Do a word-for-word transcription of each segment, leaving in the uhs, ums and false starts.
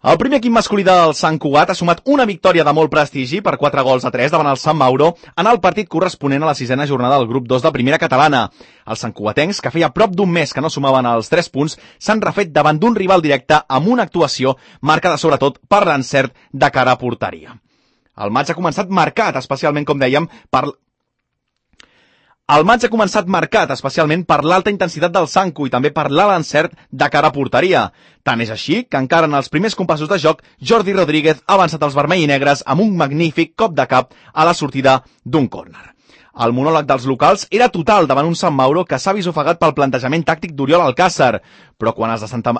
El primer equip masculí del Sant Cugat ha sumat una victòria de molt prestigi per quatre gols a tres davant el Sant Mauro en el partit corresponent a la sisena jornada del grup dos de Primera Catalana. Els santcugatencs, que feia prop d'un mes que no sumaven els tres punts, s'han refet davant d'un rival directe amb una actuació marcada sobretot per l'encert de cara a porteria. El maig ha començat marcat, especialment, com dèiem, per... El maig ha començat marcat, especialment per l'alta intensitat del Sancu i també per l'alt encert de cara a porteria. Tant és així que encara en els primers compassos de joc, Jordi Rodríguez ha avançat els vermell i negres amb un magnífic cop de cap a la sortida d'un córner. El monòleg dels locals era total davant un Sant Mauro que s'ha vist ofegat pel plantejament tàctic d'Oriol Alcácer, però quan els de Santa...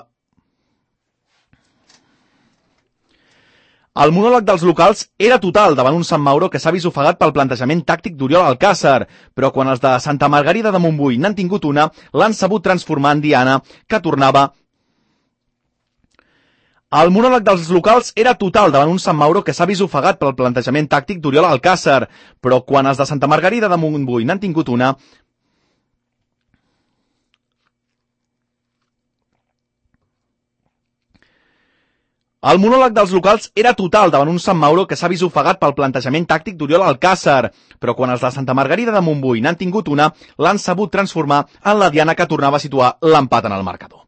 El monòleg dels locals era total davant un Sant Mauro que s'ha vist ofegat pel plantejament tàctic d'Oriol Alcácer, però quan els de Santa Margarida de Montbui n'han tingut una, l'han sabut transformar en diana, que tornava... El monòleg dels locals era total davant un Sant Mauro que s'ha vist ofegat pel plantejament tàctic d'Oriol Alcácer, però quan els de Santa Margarida de Montbui n'han tingut una... El monòleg dels locals era total davant un Sant Mauro que s'ha vist ofegat pel plantejament tàctic d'Oriol Alcácer, però quan els de Santa Margarida de Montbui n'han tingut una, l'han sabut transformar en la diana que tornava a situar l'empat en el marcador.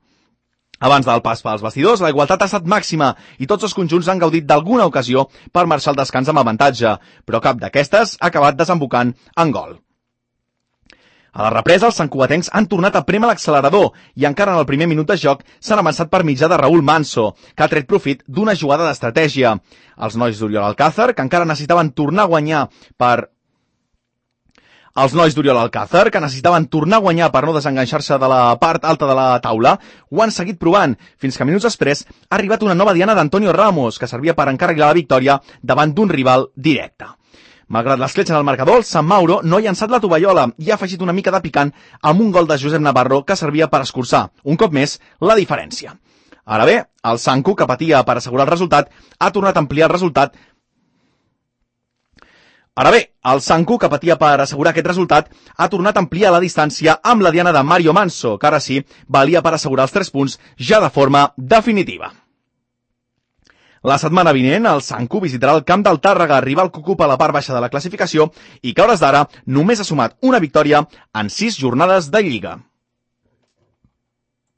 Abans del pas pels vestidors, la igualtat ha estat màxima i tots els conjunts han gaudit d'alguna ocasió per marxar al descans amb avantatge, però cap d'aquestes ha acabat desembocant en gol. A la represa, els santcugatencs han tornat a prémer l'accelerador i encara en el primer minut de joc s'han avançat per mitjà de Raúl Manso, que ha tret profit d'una jugada d'estratègia. Els nois d'Oriol Alcácer, que encara necessitaven tornar a guanyar per... Els nois d'Oriol Alcácer, que necessitaven tornar a guanyar per no desenganxar-se de la part alta de la taula, ho han seguit provant, fins que minuts després ha arribat una nova diana d'Antonio Ramos, que servia per encarrilar la victòria davant d'un rival directe. Malgrat l'escletxa del marcador, el Sant Mauro no ha llançat la tovallola i ha afegit una mica de picant amb un gol de Josep Navarro que servia per escurçar, un cop més, la diferència. Ara bé, el Sancu, que patia per assegurar el resultat, ha tornat a ampliar el resultat Ara bé, el Sancu, que patia per assegurar aquest resultat, ha tornat a ampliar la distància amb la diana de Mario Manso, que ara sí valia per assegurar els tres punts ja de forma definitiva. La setmana vinent, el Sancu visitarà el camp del Tàrrega, rival que ocupa la part baixa de la classificació i que a hores d'ara només ha sumat una victòria en sis jornades de Lliga.